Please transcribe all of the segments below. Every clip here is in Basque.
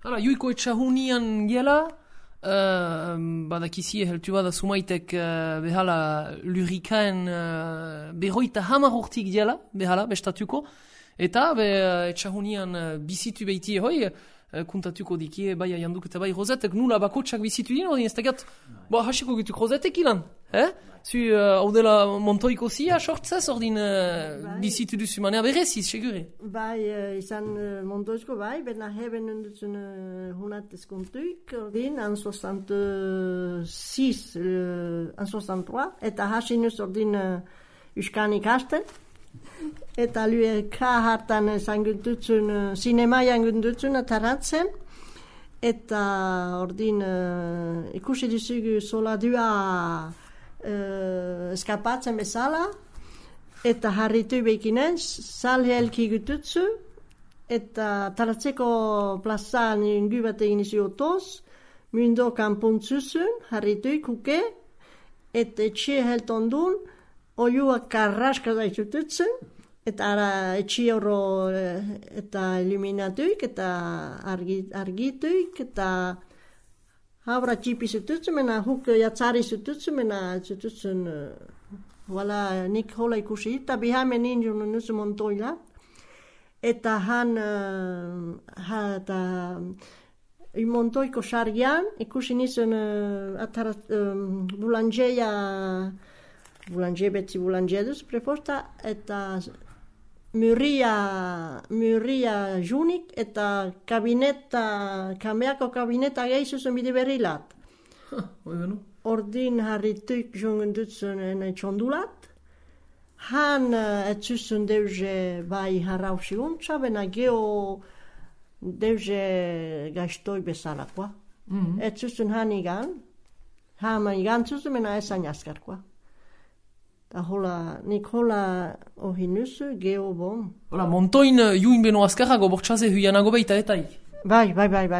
Hala, juiko etxahunian gela, badakizie heltu bada sumaitek behala lurikaen berroita hamar urtik gela, behala, bestatuko, eta etxahunian bizitu behiti hoi, kuntatuko dikie, bai aianduk eta bai rozetek nula bakotsak bizitu dien, odin ez tegat, hasiko gitu rozetek ilan, Zu, hau dela Montoiko zia, sortzez, ordin bizitu duzu manea bereziz, segure? Bai, izan Montoizko bai, bena heben endutzen hunatez kontuik, ordin, an 66, an 63, eta hasinuz ordin uskanik hasten, eta lue ka hartan zanguntutzen, sinema janguntutzen ataratzen, eta ordin ikusi dizugu sola dua eskapatzen bezala, eta harritu bekinen, salhelki gututzu, eta taratzeko plazan ingu bat egin izi otoz, mundo kanpuntzuzun, harritu kuke, eta etxe heltondun, oiuak karraska daitututzen, eta ara etxe horro eta iluminatuik, eta argituik, eta Habra txipi zututzen, mena huk jatzari zututzen, mena zututzen, wala nik hola ikusi, eta bihamen ninjun nusu Montoila, eta han, Montoiko sargian, ikusi nizun boulanger betzi boulangeruz preposta, eta Muria junik eta kameako kabineta gehizuzen bide berrilat. Ordin harrituik jungen dutzen txondulat. Han etzuzen deuze bai harrausi untza, bena geho deuze gaiztoi bezalakoa. Etzuzen han igan zuzen, bena esan jaskarkoa. Nik hola ohinuzu, geho bon. Hola, Montoin juin beno azkarrago, bortxaze huianago beita etaik. Bai,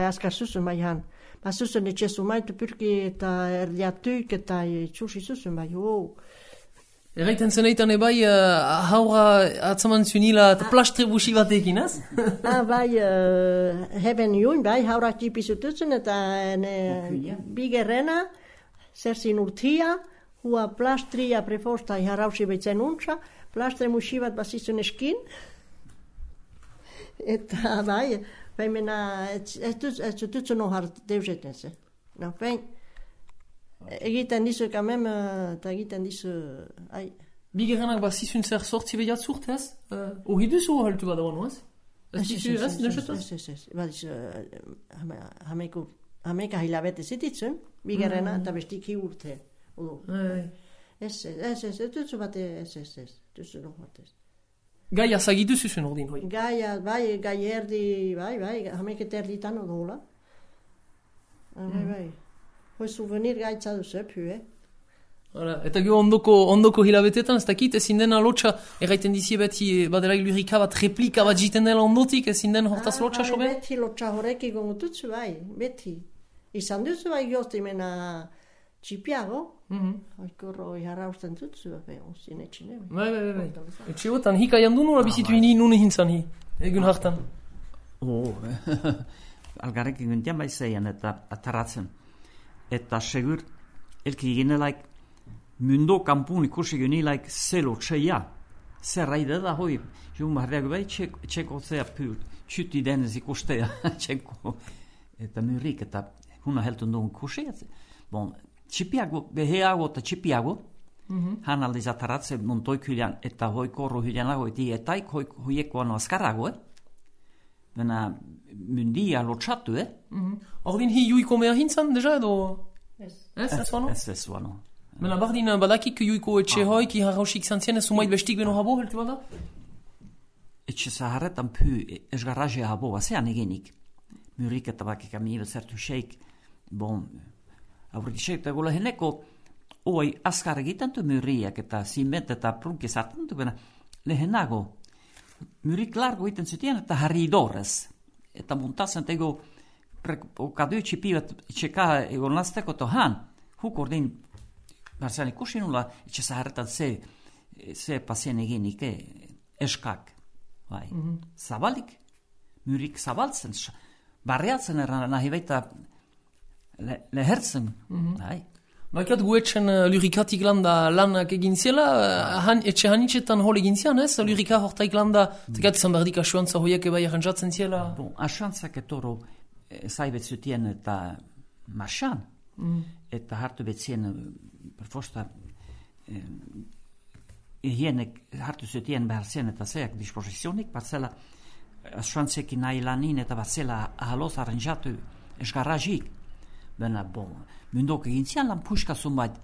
azkar zuzen bai han. Ba zuzen etxezu maitu pyrki eta erdiatuik eta txusi zuzen bai, Erraiten zeneitan ebai, haura atzaman zunila eta plastre busi batekin, ez? Bai, heben juin, bai, haura txipi zututzen eta bigerrena, zerzin urtia, hua plastria prefosta harrausi behitzen untza, plastre musi bat bazizun eskin. Eta bai mena, ez zututzen ohar deuzeten ze. Egiten dizu kamem, eta egiten dizu, Bigerrenak bazizun zer sortzi behiatzurt, ez? Hori duzu haltu bada bano, ez? Ez dizu, ez? Ez. Badizu, hameka hilabete zititzen, bigerrena eta bestik hi urte. Ez, duzu bate, ez, duzu no batez. Gaia zagitu zuzun ordin, hoi? Gaia, bai, gai erdi, bai, hameket erditan odola. Bai. Hoi souvenir gaitza duzu, Eta gero ondoko hilabetetan, ez dakit, ezin dena lotxa, erraiten dizie beti, badela ilurika bat replika bat jiten dela ondotik, ezin den hortaz lotxa sobe? Beti lotxa horrek egon dutzu, bai, beti. Izan duzu, bai, gozti mena txipiago, oikorro harrausten dutzu, ozien etxine. Bai. Etxeotan, hika jandu nula bizitu ini nune hintzan egun hartan. Algarrek egun dian bai zeian eta ataratzen. Eta segur, elki ginelaik, mundo kampun ikusi genilaik zelo txeia. Zerraide da hoi, joan barriak bai txeko zea pur, txuti denez ikustea txeko. Eta murik eta huna heltun duen ikusi. Bon, txipiago, beheago eta txipiago, han aldiz ataratzen Montoik hylian eta hoi korro hylianago etaik hoiekoan azkarrago, Bena mundia lotxatu, Ordin hi juiko mea hintzan, deja edo? Ez wano? Ez wano. Bena bardin badakik juiko etxe hoi, ki harrausik zantzien, ez sumait bestik beno habo, heltu bada? Etxe zaharretan pu, esgarraje habo, bazean egenik. Murik eta bakik amibe zertu sheik, bon, aurriti sheik, eta gola heneko, oi, askar egiten tu muriak eta ziment eta prunki zartan tu, bena, lehenago, murik largo iten zutien eta harri idorez. Eta muntazen tego, okadu txipivat, txeka egon lasteko tohan, huk ordin, barzan ikusi nula, etxe zaharretan ze pasien egenik, eskak. Bai. Zabalik, murik zabaltzen, barriatzen eran nahi baita lehertzen. Baikat guetxen lurikatik landa lanak egin ziela, etxe hanitxetan hol egin zian, ez? Lurika hortaik landa, tegat izan behar dik asuantza hoiak ebai arrantzatzen ziela. Bon, asuantzak etoro zaibetzutien eta marxan, eta hartu betzien perfosta hienek hartu zutien behar zen eta zeak disposizionik, batzela asuantzekin nahi lanin eta batzela ahaloz arrantzatu esgarrazik. Bena, mundok egin zian lan puskazun bait,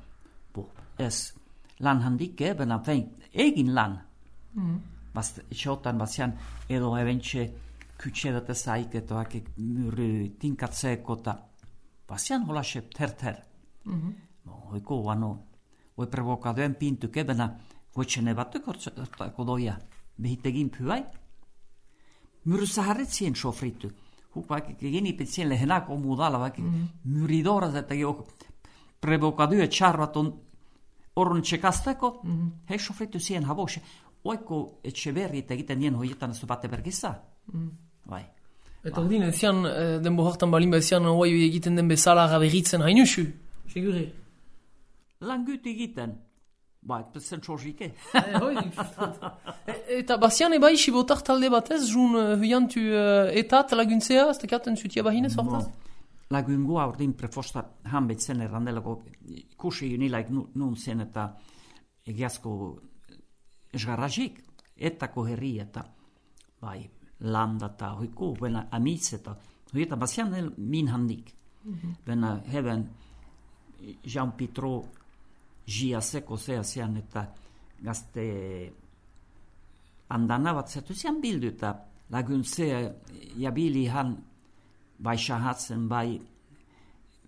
ez lan handik, bena, egin lan. Etxotan batzian, edo ebentxe kütxedat ezaik, eto hakik mürri tinkatzeko, eta batzian holaxe ter. Hoiko, hoi provokadoen pintuke, bena, goitxene batuk doia, behitegin pyai, mürri zaharretzien sofritu. Vaikka genipitzien lehenako muudalla, vaikka myridoras, että jo provokadyö charvaton orun tsekastako, hei sofritu siihen havoshe. Oiko etxeberri egiten nien hoietan ez bate bergisa. Bai. Eta ordin ezian, denbo hortan balin bezian, hoi egiten den bezala berritzen hainusu, segure? Lan gut egiten. Bai, zen txorrike. Eta bazian ebai sibotak talde batez, jun huiantu etat laguntzea, ez tekaten zutia bahinez hortaz? Lagungua ordin prefosta hanbetzen errandelako ikusi unilaik nun zen eta egiazko esgarrazik, etako herri eta bai, landa eta hoiko, bena amitz eta hoieta bazian min handik. Bena heben Jean Pitro Gia seko zean eta gazte andana bat zetu zian bildu eta laguntzea jabili han bai shahatzen bai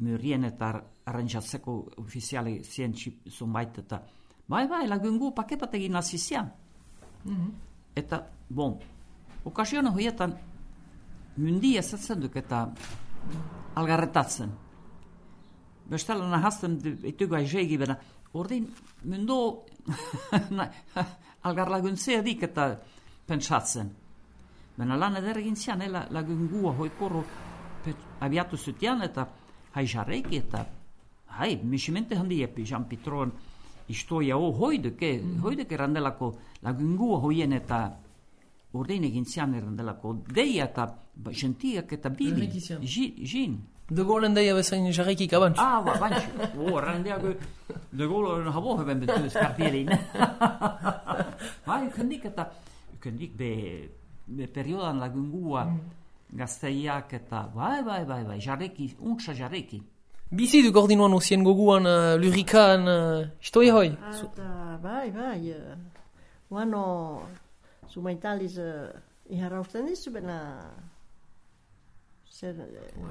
myrien eta arrantzatzeko ofiziali zien zunbait eta bai lagungu pakepat egin hasi zian. Eta, okasiona hoietan mundia zetzen duk eta algarretatzen. Bestela nahazten etugu aizegi bena, ordin mundo algarlaguntzea dik eta pentsatzen. Bena lan ederegin zian, lagungua hoikorro abiatu zutian eta haijarreki eta misimente handi epi Jean Pitroan istoia hoiduk erandelako lagungua hoien eta ordin egin zian erandelako deia eta gentiak eta bili, jin. De Gaulle deia bezain jarrekik abantz. Abantz. Randeago De Gaulle habo hebben betuz kartierin. Kendik eta kendik be periodan lagungua gazteiak eta bai, jarreki, untsa jarreki. Bizi du gordinuan osien goguan lurikan istoia hoi? Bai. Uano sumaitaliz iharrausten dizu bena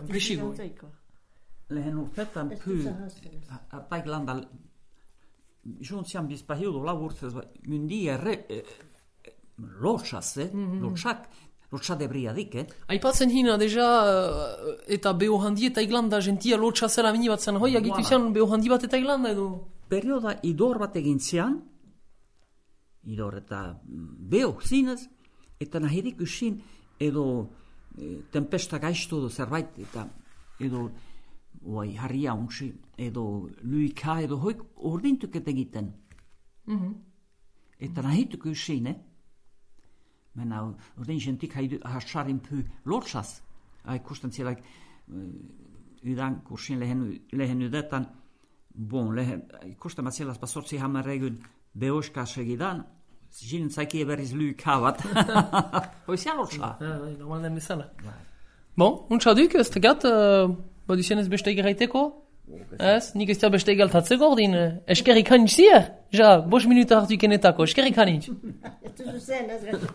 Brisigo. Lehen urtetan ataik landa juntzian bizpahildo laburtzez mundia lotsa debriadik, Aipatzen hina deja eta beho handi eta iglanda gentia lotsa zela mini bat zen hoi agitu zian beho handi bat eta iglanda edo? Perioda idor bat egin zian, idor eta beho zinez, eta nahirik usin edo tempesta gaiztu edo zerbait eta edo harria untsi edo luika edo hoik ordintuket egiten. Eta nahituk usin, Mena ordin gentik hasarin py lotsas. Ikusten zielak ydan kursin lehen ydetan ikusten matzielaz basortzi hammerregun beoska segidan Jinen zaiki eberiz luykavat. Hoizia lotsa. Normal den bezala. Untsa duk, ez tegat, baduzien ez beste egeraiteko? Ez, nik ez da beste egaltatzeko ordin, eskerrik hanitz zier? Ja, 5 minuta hartu ikenetako, eskerrik hanitz. Ez duzu zen, ez gaitu.